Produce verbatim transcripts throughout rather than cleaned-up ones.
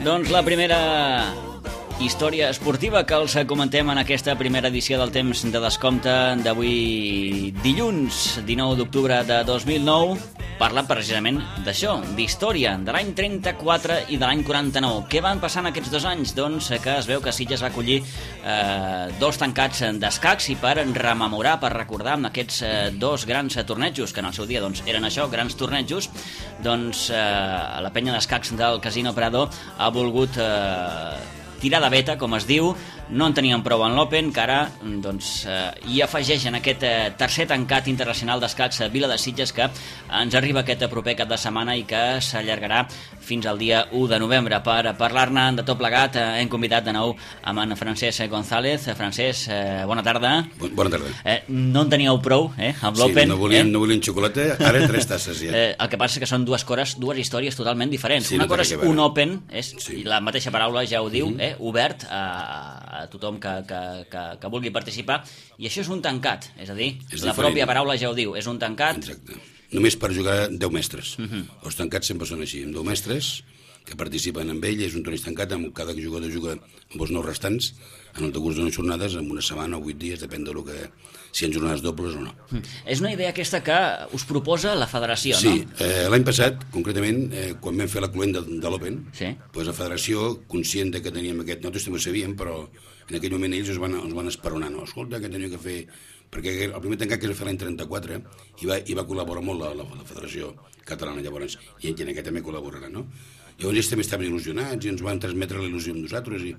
Doncs la primera història esportiva que els comentem en aquesta primera edició del Temps de Descompte d'avui dilluns dinou d'octubre de dos mil nou parla precisament d'això, d'història de l'any trenta-quatre i de l'any quaranta-nou. Què van passar en aquests dos anys? Doncs que es veu que Sitges va acollir eh, dos tancats d'escacs i per rememorar, per recordar amb aquests eh, dos grans tornejos, que en el seu dia doncs, eren això, grans tornejos, doncs eh, la penya d'escacs del Casino Prado ha volgut eh, tirar de beta, com es diu. No en tenien prou en l'Open, que ara doncs, eh, hi afegeixen aquest eh, tercer tancat internacional d'escacs a Vila de Sitges, que ens arriba aquest proper cap de setmana i que s'allargarà fins al dia u de novembre. Per parlar-ne de tot plegat eh, hem convidat de nou amb en Francesc González. Francesc, eh, bona tarda. Bona tarda. Eh, no en teníeu prou eh, amb l'Open. Sí, no volien, eh? no volien xocolata, ara tres tasses ja. Eh, el que passa és que són dues cores, dues històries totalment diferents. Sí, Una no cosa és un Open, és, sí. la mateixa paraula ja ho diu, mm-hmm. eh, obert a, a tothom que, que, que, que vulgui participar, i això és un tancat, és a dir, és la diferent. Pròpia paraula ja ho diu, és un tancat. Exacte. Només per jugar deu mestres. Mm-hmm. Els tancats sempre són així, amb deu mestres que participen amb ell, és un torneig tancat, amb cada jugador juga amb els nou restants, en el decurs d'unes jornades, en una setmana o vuit dies, depèn de lo que, si hi ha jornades dobles o no. Mm. És una idea aquesta que us proposa la federació, sí, no? Sí, eh, l'any passat, concretament, eh, quan vam fer la cluent de, de l'Open, sí. doncs la federació, conscient de que teníem aquest... Nosaltres també ho sabíem, però en aquell moment ells ens van, ens van esperonar, no? Escolta, que tenia que fer... Perquè el primer tancat que es va fer l'any trenta-quatre i va, i va col·laborar molt la, la, la Federació Catalana, llavors, i en aquest també col·laborarà, no? Llavors ells també estaven il·lusionats i ens van transmetre la il·lusió amb nosaltres i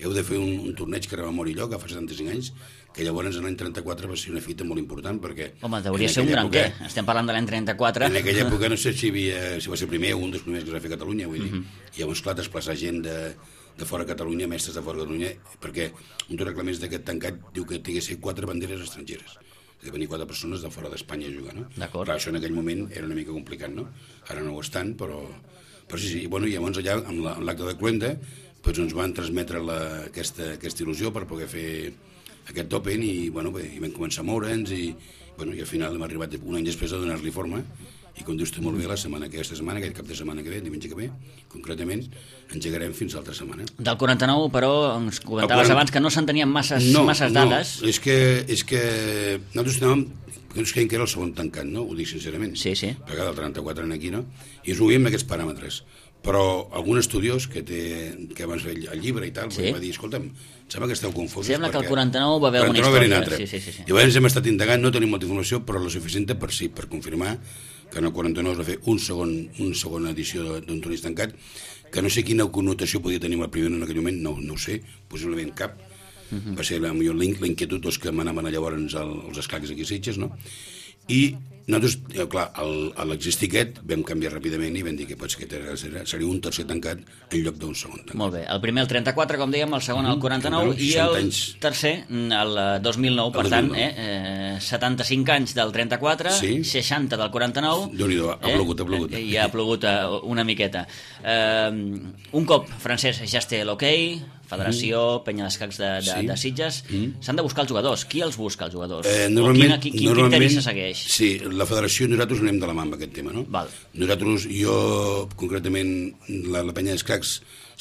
heu de fer un, un torneig que rememori allò, que fa setanta-cinc anys, que llavors l'any trenta-quatre va ser una fita molt important perquè... Home, hauria ser un gran què, estem parlant de l'any trenta-quatre. En aquella època no sé si, havia, si va ser el primer o un dels primers que es va fer a Catalunya, vull dir, mm-hmm. i llavors, clar, desplaçar gent de, de fora de Catalunya, mestres de fora de Catalunya, perquè un dels reglaments d'aquest tancat diu que té que ser quatre banderes estrangeres, que venir quatre persones de fora d'Espanya a jugar, no? D'acord. Clar, això en aquell moment era una mica complicat, no? Ara no ho estan, però... Però sí, sí, i bueno, i llavors allà, amb l'acte de cluenda, doncs ens van transmetre la, aquesta, aquesta il·lusió per poder fer aquest Open i, bueno, bé, i vam començar a moure'ns i, bueno, i al final hem arribat un any després a donar-li forma i com dius tu molt bé, la setmana aquesta setmana, aquest cap de setmana que ve, diumenge que ve, concretament, engegarem fins l'altra setmana. Del quaranta-nou, però, ens comentaves quaranta... abans que no se'n tenien masses, no, masses no, dades. No, és que, és que nosaltres anàvem, que ens creiem que era el segon tancat, no? Ho dic sincerament. Sí, sí. Perquè del trenta-quatre en aquí, no? I ens ho veiem amb aquests paràmetres. Però algun estudiós que, té, que abans feia el llibre i tal, sí. va dir, escolta'm, sembla que esteu confosos. Sembla que el quaranta-nou va haver alguna història. Sí, sí, sí, sí. Llavors hem estat indagant, no tenim molta informació, però la suficient per sí, per confirmar que en el quaranta-nou es va fer un segon, una segona edició d'un torneig tancat, que no sé quina connotació podia tenir el primer en aquell moment, no, no ho sé, possiblement cap. Uh-huh. Va ser la millor l'inquietud dels que m'anaven llavors als escacs aquí a Sitges, no? I nosaltres, clar, a l'existir aquest vam canviar ràpidament i vam dir que potser que seria un tercer tancat en lloc d'un segon tancat. Molt bé, el primer el trenta-quatre, com dèiem, el segon el quaranta-nou i el tercer el dos mil nou, per tant, eh, eh, setanta-cinc anys del trenta-quatre, sí. seixanta del quaranta-nou. Déu-n'hi-do, ha plogut, ha plogut. I ha plogut una miqueta. Eh, un cop, Francesc, ja es té l'hoquei, Federació, mm. Penya d'Escacs de, de, sí. de Sitges, mm. s'han de buscar els jugadors. Qui els busca, els jugadors? Eh, normalment, quin, quin criteri se segueix? Sí, la Federació i nosaltres anem de la mà amb aquest tema, no? Val. Nosaltres, jo, concretament, la, la Penya d'Escacs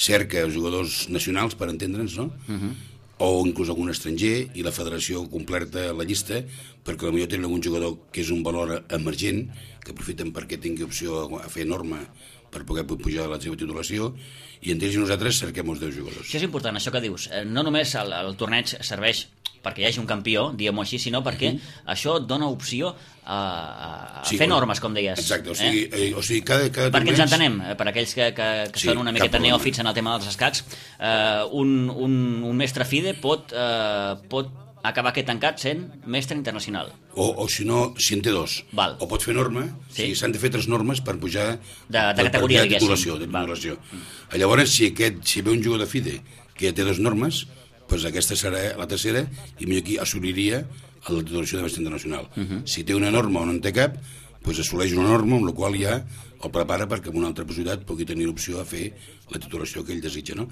cerca els jugadors nacionals, per entendre'ns, no? Uh-huh. O inclús algun estranger, i la Federació completa la llista, perquè potser tenen algun jugador que és un valor emergent, que aprofiten perquè tingui opció a fer norma per poder pujar la seva titulació, i entre ells nosaltres cerquem els deu jugadors. Això és important, això que dius. No només el, el torneig serveix perquè hi hagi un campió, diguem-ho així, sinó perquè uh-huh. això dona opció a, a sí, fer normes, com deies. Exacte, o sigui, eh? Eh, o sigui cada, cada perquè torneig... ens entenem, per aquells que, que, que sí, són una miqueta neòfits en el tema dels escacs, eh, un, un, un mestre FIDE pot, eh, pot acabar aquest tancat sent mestre internacional. O, o si no, si en té dos. Val. O pot fer norma, sí. Si s'han de fer tres normes per pujar... De, de categoria, de titulació, de titulació. Llavors, si, aquest, si ve un jugador de FIDE que ja té dos normes, doncs aquesta serà la tercera i millor aquí assoliria la titulació de mestre internacional. Uh-huh. Si té una norma o no en té cap, doncs assoleix una norma amb la qual ja el prepara perquè en una altra possibilitat pugui tenir l'opció a fer la titulació que ell desitja, no?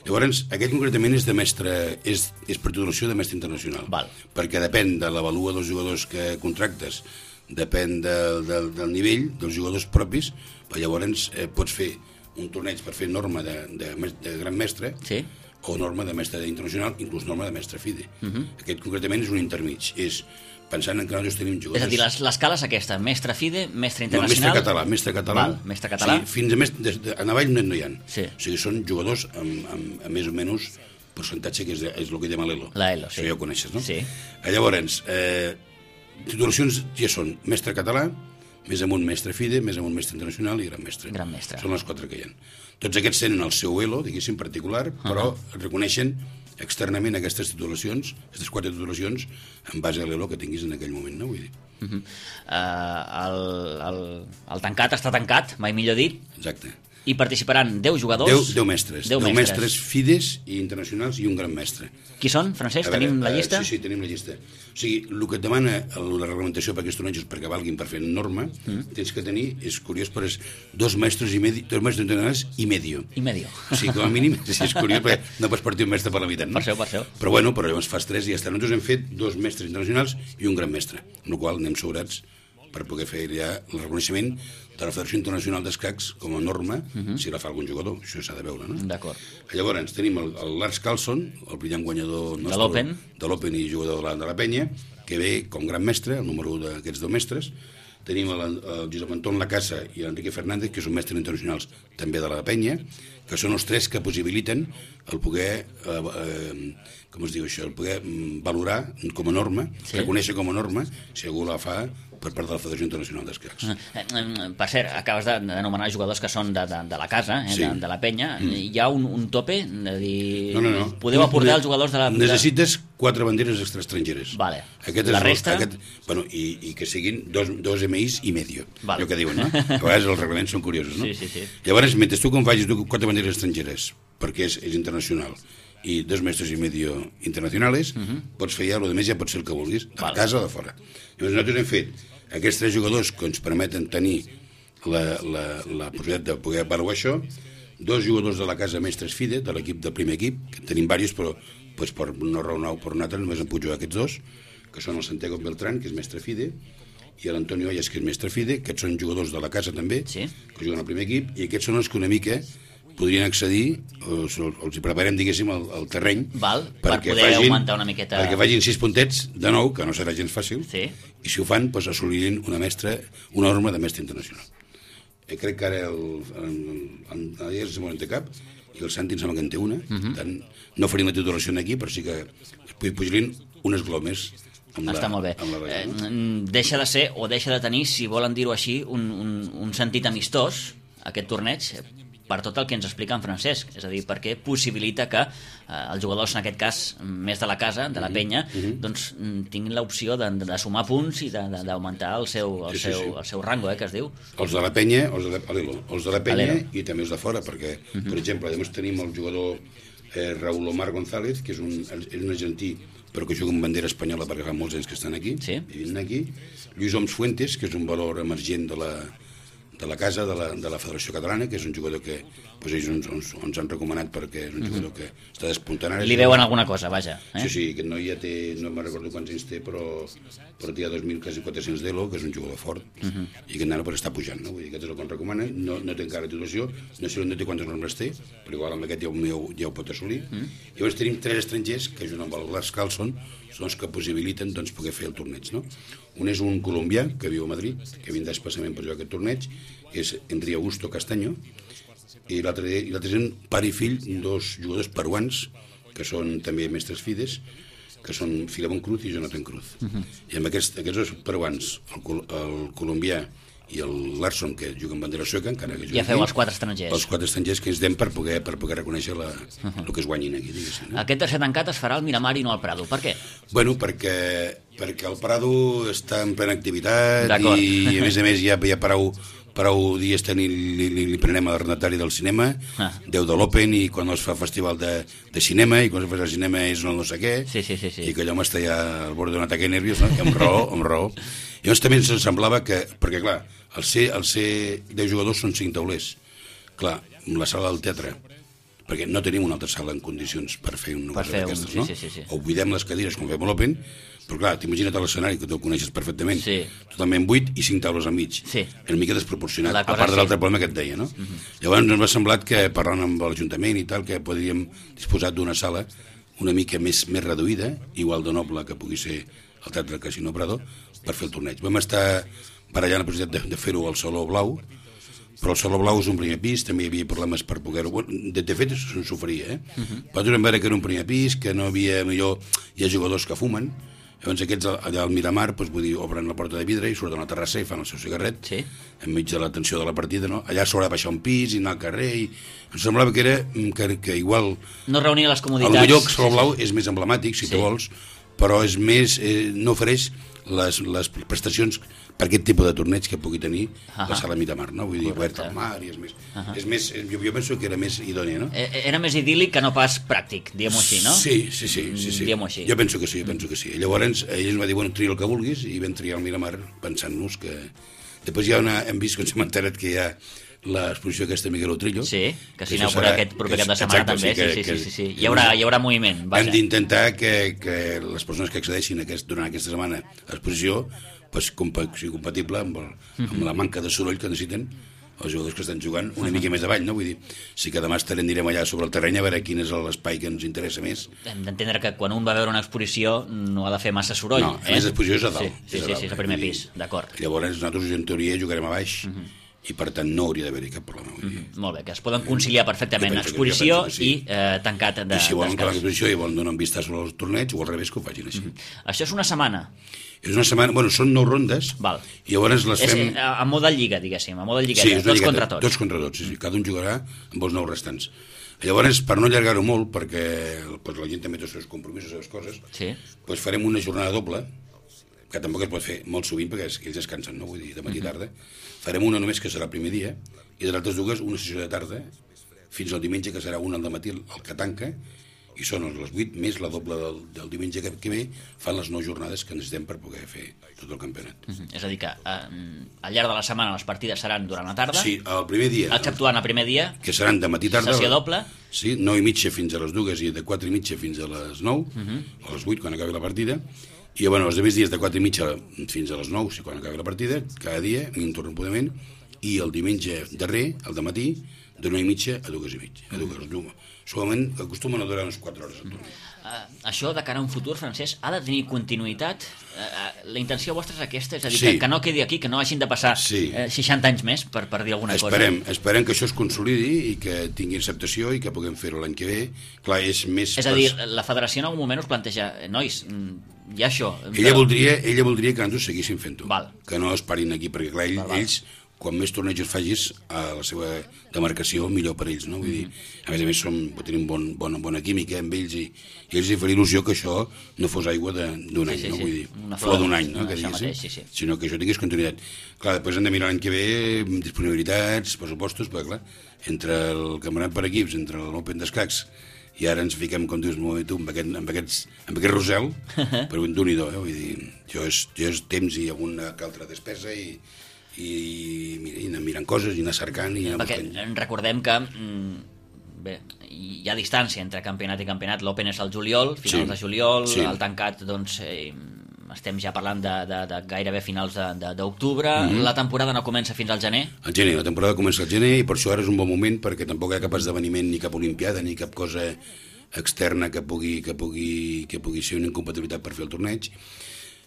Llavors, aquest concretament és de mestre, és, és per titulació de mestre internacional. Val. Perquè depèn de l'avalua dels jugadors que contractes, depèn del, del, del nivell dels jugadors propis, però llavors eh, pots fer un torneig per fer norma de, de, de gran mestre, sí, o norma de mestre internacional, inclús norma de mestre FIDE. Uh -huh. Aquest concretament és un intermig, és pensant en que nosaltres tenim jugadors... És a dir, l'escala és aquesta, mestre FIDE, mestre no, internacional... mestre català, mestre català. Val, mestre català. Sí, fins a més, de, de, en avall no, no hi ha. Sí. O sigui, són jugadors amb, amb, amb més o menys percentatge, que és, és el que diem l'Elo. L'Elo, sí. Això ja ho coneixes, no? Sí. Llavors, eh, titulacions ja són mestre català, més amunt mestre FIDE, més amunt mestre internacional i gran mestre. Gran mestre. Són les quatre que hi ha. Tots aquests tenen el seu elo, diguéssim, particular, però uh -huh. reconeixen externament aquestes titulacions, aquestes quatre titulacions, en base a l'elo que tinguis en aquell moment, no? Vull dir. Uh -huh. uh, el, el, el tancat està tancat, mai millor dit. Exacte. I participaran deu jugadors... deu, deu mestres. deu deu mestres. mestres FIDEs i internacionals i un gran mestre. Qui són, Francesc? Veure, Tenim la llista? Uh, sí, sí, tenim la llista. O sigui, el que et demana el, la reglamentació per aquests tornejos perquè valguin per fer norma, mm. tens que tenir, és curiós, però és dos mestres i medio, dos mestres internacionals i medio. I medio. O sigui, com a mínim, sí, és curiós, perquè no pots partir un mestre per la meitat, no? Per això, per això. Però bueno, però llavors fas tres i ja està. Nosaltres hem fet dos mestres internacionals i un gran mestre, amb la qual anem sobrats per poder fer ja el reconeixement de la Federació Internacional d'Escacs com a norma, uh -huh. si la fa algun jugador, això s'ha de veure, no? D'acord. Llavors tenim el, el Lars Carlson, el brillant guanyador nostre, de l'Open, de l'Open i jugador de la, de la Penya, que ve com gran mestre, el número un d'aquests dos mestres. Tenim el, el Josep Anton Lacasa i l'Enrique Fernández, que són mestres internacionals també de la Penya, que són els tres que possibiliten el poder, eh, eh, com es diu això, el poder valorar com a norma, sí. reconèixer com a norma, si algú la fa per part de la Federació Internacional d'Escacs. Per cert, acabes d'anomenar jugadors que són de, de, de la casa, eh, sí. de, de la Penya. Mm. Hi ha un, un tope? De dir... No, no, no. Podeu aportar els jugadors de la... Necessites quatre banderes extraestrangeres. Vale. Aquest la és resta... El, aquest, bueno, i, i que siguin dos, dos M Is i medio, vale. allò que diuen, no? A vegades els reglaments són curiosos, no? Sí, sí, sí. Llavors, mentre tu com facis quatre banderes extrangeres, perquè és, és internacional, i dos mestres i medio internacionals, uh -huh. pots fer ja, el més ja pot ser el que vulguis, de vale. casa o de fora. Llavors nosaltres hem fet aquests tres jugadors que ens permeten tenir la, la, la possibilitat de poder avaluar això, dos jugadors de la casa mestres FIDE, de l'equip del primer equip, que tenim diversos, però pues, per una raó o per una altra només en puc jugar aquests dos, que són el Santiago Beltrán, que és mestre FIDE, i l'Antonio Ayas, que és mestre FIDE. Aquests són jugadors de la casa també, sí. que juguen al primer equip, i aquests són els que una mica podrien accedir, o els hi preparem, diguéssim, el, el terreny, val, per poder facin, augmentar una miqueta... perquè facin sis puntets, de nou, que no serà gens fàcil, sí. i si ho fan, doncs assolirin una mestra, una norma de mestre internacional. Eh, crec que ara el, el, el, el, el, el té cap, i el Santi em sembla que en té una, uh -huh. tant, no farim la titulació aquí, però sí que pujalin unes glomes amb Està la, molt bé. amb la regla, no? eh, deixa de ser, o deixa de tenir, si volen dir-ho així, un, un, un sentit amistós, aquest torneig, per tot el que ens explica en Francesc, és a dir, perquè possibilita que eh, els jugadors, en aquest cas, més de la casa, de la penya, uh -huh. doncs tinguin l'opció de, de sumar punts i d'augmentar el seu, el, sí, sí, seu, sí. el seu rango, eh, que es diu. Els de la penya, els de la, els de la penya Alero. I també els de fora, perquè, uh -huh. per exemple, llavors tenim el jugador eh, Raúl Omar González, que és un, és un argentí, però que juga amb bandera espanyola perquè fa molts anys que estan aquí, sí. vivint aquí. Lluís Oms Fuentes, que és un valor emergent de la, de la casa, de la, de la Federació Catalana, que és un jugador que pues, ells ens, ens, ens han recomanat perquè és un jugador que està despuntant ara. Li veuen alguna cosa, vaja. Eh? Sí, sí, aquest noi ja té, no me'n recordo quants anys té, però, però té ja dos mil, quasi quatre-cents d'elo, que és un jugador fort, uh -huh. i que nano pues, està pujant, no? Vull dir, aquest és el que ens recomana, no, no té encara titulació, no sé on té quantes normes té, però igual amb aquest ja ho, ja ho pot assolir. Uh -huh. Llavors tenim tres estrangers, que junt amb el Lars Carlson, són els que possibiliten doncs, poder fer el torneig, no? Un és un colombià, que viu a Madrid, que vindrà especialment per jugar aquest torneig, és Enri Augusto Castaño, i l'altre és un pare i fill, dos jugadors peruans, que són també mestres FIDEs, que són Filemón Cruz i Jonathan Cruz. Uh -huh. I amb aquests, aquests dos peruans, el, el colombià i el Larson, que juga amb bandera sueca, encara que ja feu aquí, els quatre estrangers. Els quatre estrangers que ens dem per poder, per poder reconèixer la, uh -huh. el que es guanyin aquí, diguéssim. No? Aquest tercer tancat es farà al Miramar i no al Prado. Per què? Bueno, perquè, perquè el Prado està en plena activitat i, a més a més, ja, ja prou, prou dies tenir, li, li, li prenem l'arrendatari del cinema, ah. deu de l'Open, i quan es fa festival de, de cinema, i quan es fa el cinema és el no sé què, sí, sí, sí, sí. i que allò m'està ja al bord d'un atac nerviós, no? I amb raó, amb raó. I llavors també ens semblava que, perquè clar, el ser, el ser deu jugadors són cinc taulers. Clar, la sala del teatre, perquè no tenim una altra sala en condicions per fer una cosa d'aquestes, un... no? Sí, sí, sí. O buidem les cadires com fem a l'Open, però clar, t'imagina't l'escenari, que tu el coneixes perfectament, sí. totalment buit i cinc taules al mig. Sí. És una mica desproporcionat, a part sí. de l'altre problema que et deia, no? Uh-huh. Llavors ens va semblat que, parlant amb l'Ajuntament i tal, que podríem disposar d'una sala una mica més, més reduïda, igual de noble que pugui ser el Teatre Casino Prado, per fer el torneig. Vam estar barallant la possibilitat de, de fer-ho al Saló Blau, però el Saló Blau és un primer pis, també hi havia problemes per poder-ho... De, de fet, se'n s'oferia, eh? Uh-huh. Però vam veure que era un primer pis, que no havia... Millor, hi ha jugadors que fumen, llavors aquests allà al Miramar, doncs, vull dir, obren la porta de vidre i surten a la terrassa i fan el seu cigarret, sí. enmig de la tensió de la partida, no? Allà s'haurà de baixar un pis i anar al carrer, i em semblava que era que, que igual... No reunia les comoditats. Potser el Saló Blau sí, sí. és més emblemàtic, si sí. te vols, però és més, eh, no ofereix les, les prestacions per aquest tipus de torneig que pugui tenir uh-huh. la sala Miramar, no? Vull dir, obert al mar i és més... Uh-huh. És més jo, jo penso que era més idònia, no? Era més idíl·lic que no pas pràctic, diguem-ho així, no? Sí, sí, sí. sí, sí. Diguem-ho així. Jo penso que sí, jo penso que sí. Llavors, ell ens va dir, bueno, tria el que vulguis, i vam triar el Miramar pensant-nos que... Després ja una, hem vist, com s'hem enterat, que hi ha l'exposició aquesta Miguel Utrillo. Sí, que s'inaugura aquest proper cap de setmana exacte, també, sí, que, sí, sí, que, sí, sí. Hi, haurà, hi haurà moviment. Vaja. Hem d'intentar que, que les persones que accedeixin aquest, durant aquesta setmana a l'exposició pues, compa sigui compatible amb, el, amb la manca de soroll que necessiten els jugadors que estan jugant una mica més avall, no? Vull dir, sí que demà estarem, anirem allà sobre el terreny a veure quin és l'espai que ens interessa més. Hem d'entendre que quan un va veure una exposició no ha de fer massa soroll. No, a més eh? l'exposició és a dalt. Sí, sí, sí, sí, és el primer pis, d'acord. Llavors nosaltres en teoria jugarem a baix, uh-huh. i per tant no hauria d'haver-hi cap problema. Vull dir. Uh-huh. Molt bé, que es poden conciliar perfectament exposició que, sí. i eh, tancat de, I si volen que l'exposició i volen donar un vistàs sobre el torneig, o al revés que ho facin així. Uh-huh. Això és una setmana. És una setmana, bueno, són nou rondes, Val. i llavors les fem... És a moda lliga, diguéssim, a moda lligueta, sí, tots contra tots. Tots contra tots, sí, sí. Cada un jugarà amb els nou restants. Llavors, per no allargar-ho molt, perquè pues, la gent també té els seus compromisos, les seves coses, sí. pues farem una jornada doble, que tampoc es pot fer molt sovint, perquè ells descansen, no? Vull dir, de matí i tarda. Farem una només, que serà el primer dia, i de les altres dues, una sessió de tarda, fins al diumenge, que serà una al dematí, el que tanca, i són les vuit més la doble del, del diumenge que, que ve, fan les nou jornades que necessitem per poder fer tot el campionat. Uh-huh. És a dir que eh, al llarg de la setmana les partides seran durant la tarda? Sí, el primer dia. Exceptuant el primer dia. Que seran de matí i tarda. Sessió doble. Sí, nou i mitja fins a les dues i de quatre i mitja fins a les nou, uh-huh. o a les vuit quan acabi la partida. I bueno, els demés dies de quatre i mitja fins a les nou, si quan acabi la partida, cada dia, ininterrompudament, i el diumenge darrer, el dematí, de nou i mitja a dues i mitja. A dues, uh-huh. Solament acostumen a durar unes quatre hores al torneig. Uh, això de cara a un futur, Francesc, ha de tenir continuïtat? Uh, uh, la intenció vostra és aquesta? És a dir, sí. que, que no quedi aquí, que no hagin de passar sí. uh, seixanta anys més per, per dir alguna esperem, cosa? Esperem que això es consolidi i que tingui acceptació i que puguem fer-ho l'any que ve. Clar, és més... És a dir, la federació en algun moment us planteja, nois, hi ha això... Ella, però... voldria, ella voldria que ens ho seguissin fent-ho, Val. que no es parin aquí, perquè clar, ell, val, val. ells... quan més tornejos facis a la seva demarcació, millor per ells, no? Vull dir, a més a més som, tenim bon, bona, bona química amb ells i, i ells li faria il·lusió que això no fos aigua d'un sí, any, sí, no? Sí. Vull dir, una flor d'un any, no? Que mateix, sí, sí. Sinó que això tingués continuïtat. Clar, després hem de mirar l'any que ve disponibilitats, pressupostos, perquè clar, entre el campionat per equips, entre l'Open d'escacs, i ara ens fiquem, com dius molt tu, amb aquest, amb aquests, amb aquest rosel, però d'un i do, eh? Vull dir, jo és, jo és temps i alguna que altra despesa i i, mira, i anar mirant coses i anar cercant i anar perquè buscant. Recordem que bé, hi ha distància entre campionat i campionat. L'Open és al juliol, finals sí. de juliol, sí. el tancat doncs eh, estem ja parlant de, de, de gairebé finals d'octubre. Mm-hmm. La temporada no comença fins al gener? Al gener, la temporada comença al gener i per això ara és un bon moment perquè tampoc hi ha cap esdeveniment ni cap olimpiada ni cap cosa externa que pugui, que pugui, que pugui ser una incompatibilitat per fer el torneig.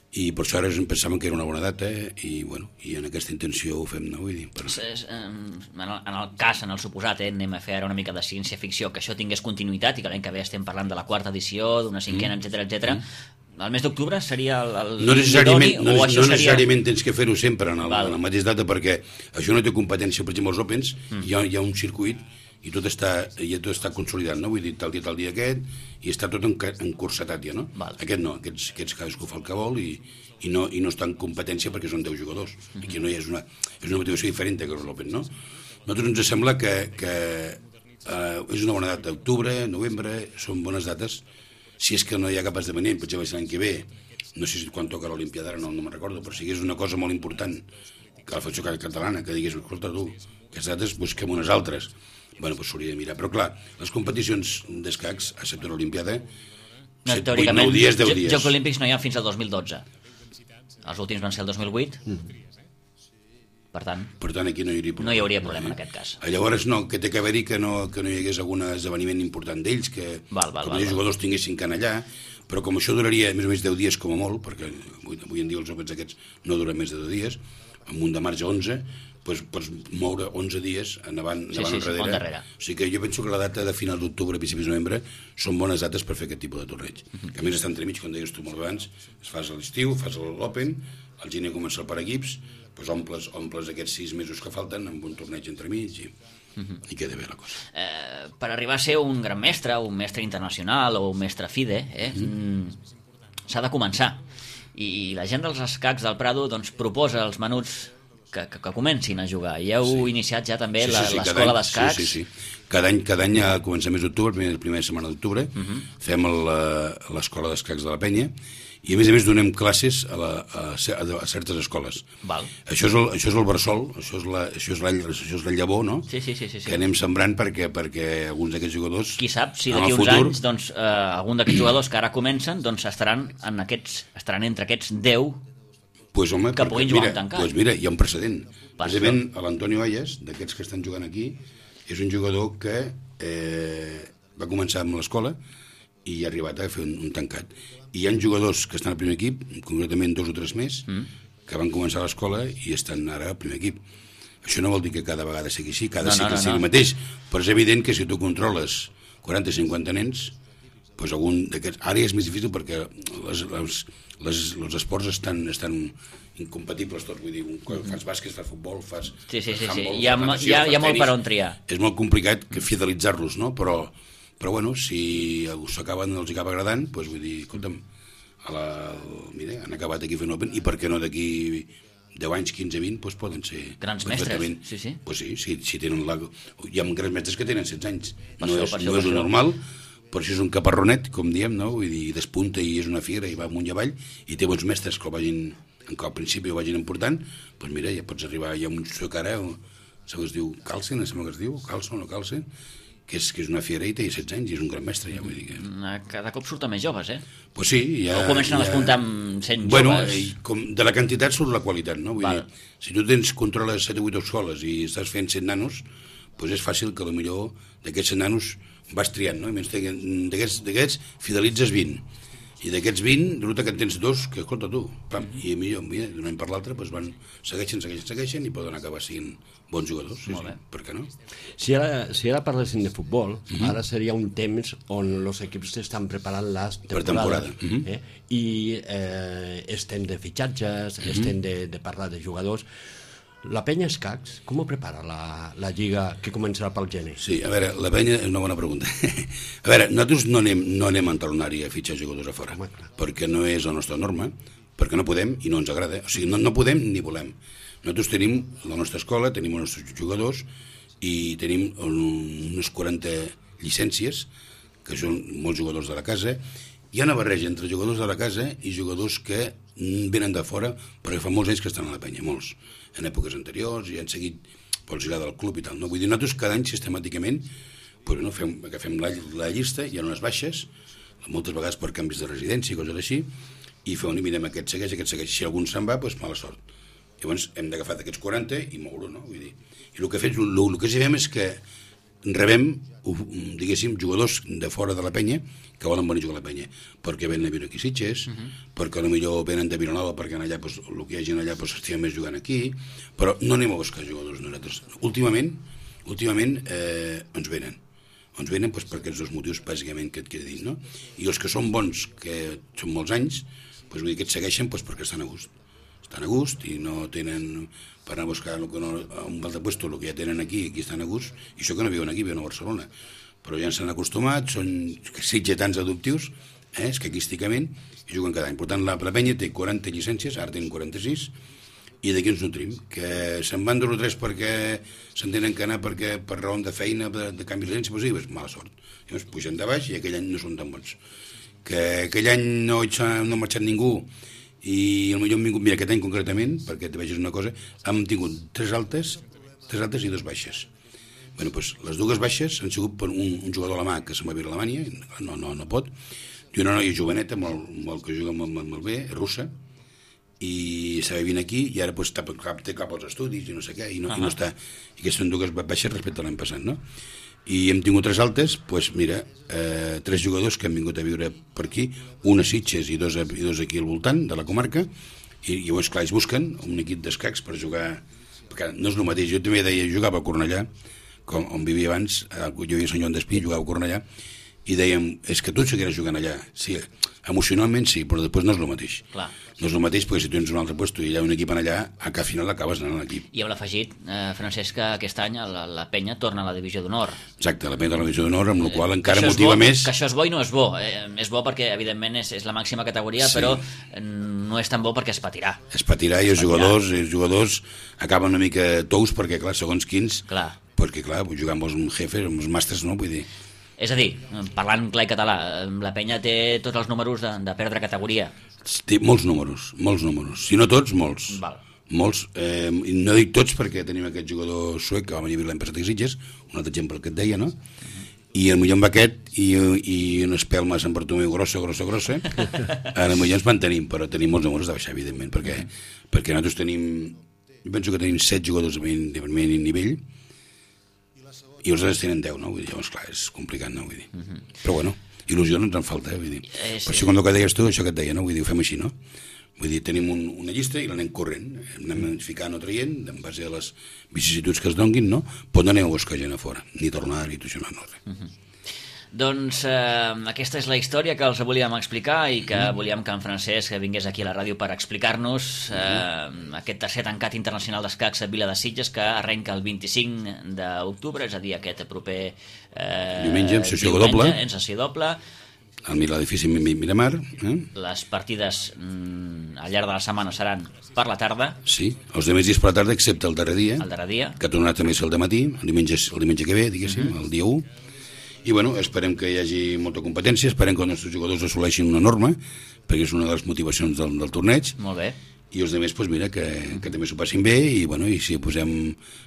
I per això ara pensàvem que era una bona data i, bueno, i en aquesta intenció ho fem, no? Vull dir, per... és, en, el, en el cas, en el suposat, eh, anem a fer ara una mica de ciència-ficció, que això tingués continuïtat i que l'any que ve estem parlant de la quarta edició, d'una cinquena, mm. etcètera, etcètera. Mm. El mes d'octubre seria el, el no necessàriament, idoni, no, o això no necessàriament seria... tens que fer-ho sempre en, el, en la mateixa data perquè això no té competència, per exemple, els Opens, mm. hi, ha, hi ha un circuit i tot està, i tot està consolidat, no? Vull dir, tal dia, tal dia aquest, i està tot encursetat ja, no? Val. Aquest no, aquests, aquests cadascú fa el que vol i, i, no, i no està en competència perquè són deu jugadors. Mm-hmm. Aquí no hi ha una, és una motivació diferent que l'Open, no? A nosaltres ens sembla que, que eh, és una bona data, octubre, novembre, són bones dates, si és que no hi ha cap esdeveniment, per exemple, l'any que ve, no sé si quan toca l'Olimpiada, no, no me'n recordo, però si és una cosa molt important que la Federació Catalana, que digués, escolta tu, aquestes dates busquem unes altres, bueno, doncs s'hauria de mirar. Però clar, les competicions d'escacs, excepte l'Olimpiada, no, set, vuit, nou dies, deu dies. Jocs Olímpics no hi ha fins al dos mil dotze. Els últims van ser el dos mil vuit. Mm. Per tant, per tant, aquí no hi hauria problema. No hi hauria problema en aquest cas. Llavors, no, que té que haver-hi que no, que no hi hagués algun esdeveniment important d'ells, que val, val, com val, els jugadors tinguessin que anar allà, però com això duraria més o menys deu dies com a molt, perquè avui, avui en dia els Opens aquests no duren més de deu dies, amb un de marge onze, doncs pots moure onze dies endavant, sí, endavant sí, sí, enrere. O sigui que jo penso que la data de final d'octubre, principis de novembre, són bones dates per fer aquest tipus de torneig. Uh -huh. Que a més està entremig, com deies tu molt abans, es fas a l'estiu, fas l'Open, al gener comença el per equips, doncs omples, omples aquests sis mesos que falten amb un torneig entremig i, uh -huh. i queda bé la cosa. Eh, per arribar a ser un gran mestre, un mestre internacional o un mestre FIDE, eh, uh -huh. s'ha de començar. I la gent dels escacs del Prado doncs, proposa als menuts que, que, que comencin a jugar. I heu sí. iniciat ja també sí, sí, sí, l'escola d'escacs. Sí, sí, sí. Cada any, cada any a començar mes d'octubre, la primera, primera setmana d'octubre, uh -huh. fem l'escola d'escacs de la Penya, i a més a més donem classes a, la, a, a certes escoles. Val. Això és el, això és el bressol, això és la, això és la, això és la llavor, no? Sí, sí, sí, sí, sí. Que anem sembrant perquè, perquè alguns d'aquests jugadors... Qui sap si d'aquí uns futur... anys doncs, eh, algun d'aquests jugadors que ara comencen doncs, estaran, en aquests, estaran entre aquests deu pues, home, que perquè, puguin jugar mira, un tancat. Pues mira, hi ha un precedent. Precisament l'Antonio Ayas, d'aquests que estan jugant aquí, és un jugador que eh, va començar amb l'escola i ha arribat a fer un, un tancat. I hi ha jugadors que estan al primer equip, concretament dos o tres més, mm. que van començar a l'escola i estan ara al primer equip. Això no vol dir que cada vegada sigui així, cada no, cicle no, no, sigui no. el mateix, però és evident que si tu controles quaranta o cinquanta nens, doncs algun d'aquests... Ara és més difícil perquè les, les, les, els esports estan, estan incompatibles tots, vull dir, quan fas bàsquet, fas futbol, fas sí, sí, sí, handball, sí. Hi ha, natació, hi ha, hi ha molt tenis. per on triar. És molt complicat que fidelitzar-los, no? Però, però bueno, si s'acaben, els acaba agradant, doncs vull dir, escolta'm, a la, mira, han acabat aquí fent Open, i per què no d'aquí deu anys, quinze, vint, doncs poden ser... Grans mestres, sí, sí. Pues sí, si, si tenen la... Hi ha grans mestres que tenen setze anys. Per no això, és, per no això, és per un això. normal, però això és un caparronet, com diem, no? Vull dir, despunta i és una fiera i va amunt i avall, i té bons mestres que el vagin, que al principi ho vagin important, doncs mira, ja pots arribar, hi ha un suc ara, segons es diu Carlsen, sembla que es diu, Carlsen o Carlsen, que és, que és una fiera i té setze anys i és un gran mestre, ja vull dir que... Cada cop surten més joves, eh? Pues sí, ja... O comencen a despuntar amb cent bueno, joves. Bueno, com de la quantitat surt la qualitat, no? Vull Val. dir, si tu tens, controles set o vuit escoles i estàs fent set nanos, doncs és fàcil que potser d'aquests set nanos vas triant, no? I menys d'aquests fidelitzes vint. I d'aquests vint, resulta que en tens dos, que escolta tu, pam, i millor, mira, d'un any per l'altre, doncs van, segueixen, segueixen, segueixen, i poden acabar sent bons jugadors, sí, sí, per què no? Si ara, si ara parlessin de futbol, mm-hmm. ara seria un temps on els equips estan preparant les temporades. Per temporada. Mm-hmm. eh? I eh, estem de fitxatges, mm-hmm. estem de, de parlar de jugadors. La Penya Escacs, com ho prepara la, la lliga que començarà pel gener? Sí, a veure, la Penya és una bona pregunta. A veure, nosaltres no anem, no anem a entalonari a fitxar jugadors a fora, Home, perquè no és la nostra norma, perquè no podem i no ens agrada. O sigui, no, no podem ni volem. Nosaltres tenim la nostra escola, tenim els nostres jugadors i tenim unes quaranta llicències, que són molts jugadors de la casa. Hi ha una barreja entre jugadors de la casa i jugadors que venen de fora, perquè fa molts anys que estan a la Penya, molts. En èpoques anteriors i han seguit pel girar del club i tal. No? Vull dir, nosaltres cada any sistemàticament pues, no, fem, agafem la, la llista, hi ha unes baixes, moltes vegades per canvis de residència i coses així, i fem, mirem aquest segueix, aquest segueix. Si algun se'n va, doncs mala sort. Llavors hem d'agafar d'aquests quaranta i moure-ho, no? Vull dir, i el que, fet, el, el que sí fem és que rebem, diguéssim, jugadors de fora de la Penya que volen venir a jugar a la Penya, perquè venen a viure aquí a Sitges, uh -huh. perquè potser venen de Vilanova, perquè allà, pues, el que hi ha gent allà pues, s'estima més jugant aquí, però no anem a buscar jugadors nosaltres. Últimament, últimament eh, ens venen. Ens venen pues, per aquests dos motius, bàsicament, que et queda dit, no? I els que són bons, que són molts anys, pues, vull dir que et segueixen pues, perquè estan a gust. Estan a gust i no tenen per anar a buscar el que no, un altre puesto, el que ja tenen aquí, aquí estan a gust, i això que no viuen aquí, viuen a Barcelona. Però ja s'han acostumat, són sitgetans adoptius, eh, escaquísticament, i juguen cada any. Per tant, la Penya té quaranta llicències, ara tenen quaranta-sis, i d'aquí ens nutrim, que se'n van dos o tres perquè se'n tenen que anar perquè, per raó de feina, de, de canvi de llicència, doncs, doncs mala sort. Llavors pugen de baix i aquell any no són tan bons. Que aquell any no, no ha marxat ningú, i potser hem vingut, mira, aquest any concretament, perquè te vegis una cosa, hem tingut tres altes, tres altes i dos baixes. Bueno, doncs, les dues baixes han sigut per un, un jugador alemà que se'n va viure a Alemanya, no, no, no pot, i una noia joveneta, molt, molt, que juga molt, molt, molt bé, russa, i s'ha vivint aquí, i ara pues, té cap als estudis, i no sé què, i no, uh -huh. i no està... I aquestes són dues baixes respecte a l'any passat, no? I hem tingut tres altes, doncs mira, eh, tres jugadors que han vingut a viure per aquí, un a Sitges i dos, a, i dos aquí al voltant de la comarca, i, i llavors, clar, ells busquen un equip d'escacs per jugar, perquè no és el mateix. Jo també deia, jugava a Cornellà, com, on vivia abans, jo vivia a Sant Joan d'Espí, jugava a Cornellà, i dèiem, és que tu seguiràs jugant allà. Sí, emocionalment sí, però després no és el mateix. Clar. No és el mateix, perquè si tens un altre lloc i hi ha un equip allà, que al final acabes anant a l'equip. I amb l'afegit, eh, Francesc, que aquest any la, la penya torna a la divisió d'honor. Exacte, la penya torna a la divisió d'honor, amb la qual eh, encara motiva bo, més... Que això és bo i no és bo. Eh, és bo perquè, evidentment, és, és la màxima categoria, sí. Però no és tan bo perquè es patirà. Es patirà i els jugadors, els jugadors acaben una mica tous, perquè, clar, segons quins... Clar. Perquè, clar, jugar amb els jefes, amb els màsters, no? Vull dir... És a dir, parlant clar i català, la penya té tots els números de, de perdre categoria. Té molts números, molts números. Si no tots, molts. Val. Molts. Eh, no dic tots perquè tenim aquest jugador suec que va venir l'any passat a Sitges, un altre exemple que et deia, no? Uh -huh. I potser amb aquest i, i una espelma a Sant Bartomeu grossa, grossa, grossa, potser ens mantenim, però tenim molts números de baixar, evidentment, perquè, uh -huh. perquè nosaltres tenim, jo penso que tenim set jugadors de primer nivell, i els altres tenen deu, no? Vull dir, llavors, clar, és complicat, no? Vull dir. Uh -huh. Però bueno, il·lusió no ens en falta, eh? Vull dir. Eh, sí. Per això, quan el que deies tu, això que et deia, no? Vull dir, ho fem així, no? Vull dir, tenim un, una llista i l'anem corrent, anem ficant o traient, en base a les vicissituds que es donguin, no? Però no anem a buscar gent a fora, ni tornar, ni tot això, no, no, res. Uh -huh. Doncs eh, aquesta és la història que els volíem explicar i que mm. volíem que en Francesc vingués aquí a la ràdio per explicar-nos eh, mm. aquest tercer tancat internacional d'escacs a Vila de Sitges, que arrenca el vint-i-cinc d'octubre, és a dir, aquest proper eh, diumenge, en sessió doble. En sessió doble. Al l'edifici Miramar. Eh? Les partides mm, al llarg de la setmana seran per la tarda. Sí, els demés dies per la tarda, excepte el darrer dia, el darrer dia. Que tornarà també a ser el dematí, el diumenge, el diumenge que ve, diguéssim, mm -hmm. el dia u. I bueno, esperem que hi hagi molta competència, esperem que els nostres jugadors assoleixin una norma, perquè és una de les motivacions del, del torneig. Molt bé. I els altres, pues mira, que, que també s'ho passin bé, i bueno, i si posem,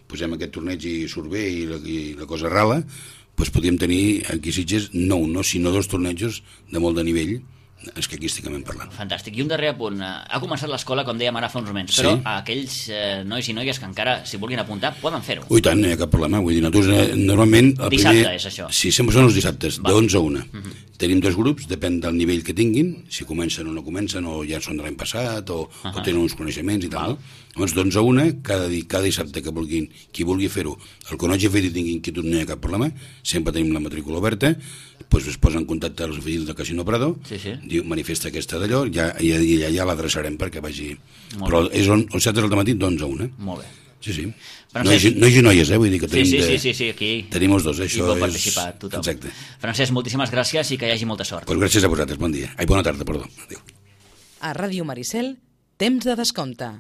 posem aquest torneig i surt bé i la, i la cosa rala, pues podríem tenir aquí a Sitges no un, no, sinó dos tornejos de molt de nivell, escaquísticament parlant. Fantàstic. I un darrer apunt. Ha començat l'escola, com dèiem ara fa uns moments, però sí. aquells eh, nois i noies que encara s'hi vulguin apuntar poden fer-ho. Ui, tant, no hi ha cap problema. Vull dir, nosaltres eh, normalment... El Dissabte primer, és això. Sí, sempre són els dissabtes, de onze a una. Uh -huh. Tenim dos grups, depèn del nivell que tinguin, si comencen o no comencen, o ja són de l'any passat, o, uh -huh. o tenen uns coneixements i tal. No? Llavors, d'onze a una, cada, cada dissabte que vulguin, qui vulgui fer-ho, el que no hagi fet i tingui inquietud no hi ha cap problema, sempre tenim la matrícula oberta, doncs es posa en contacte als oficines del Casino Prado, sí, sí. diu, manifesta aquesta d'allò, ja, ja, ja, ja l'adreçarem perquè vagi... Molt Però bé. És on, el set del matí d'onze a una. Molt bé. Sí, sí. Francesc... Nois i noies, eh? Vull dir que tenim sí, sí, de... sí, sí, sí, aquí... Tenim els dos, eh? Això hi pot és... participar tothom. Exacte. Francesc, moltíssimes gràcies i que hi hagi molta sort. Pues gràcies a vosaltres, bon dia. Ai, bona tarda, perdó. Adéu. A Ràdio Maricel, temps de descompte.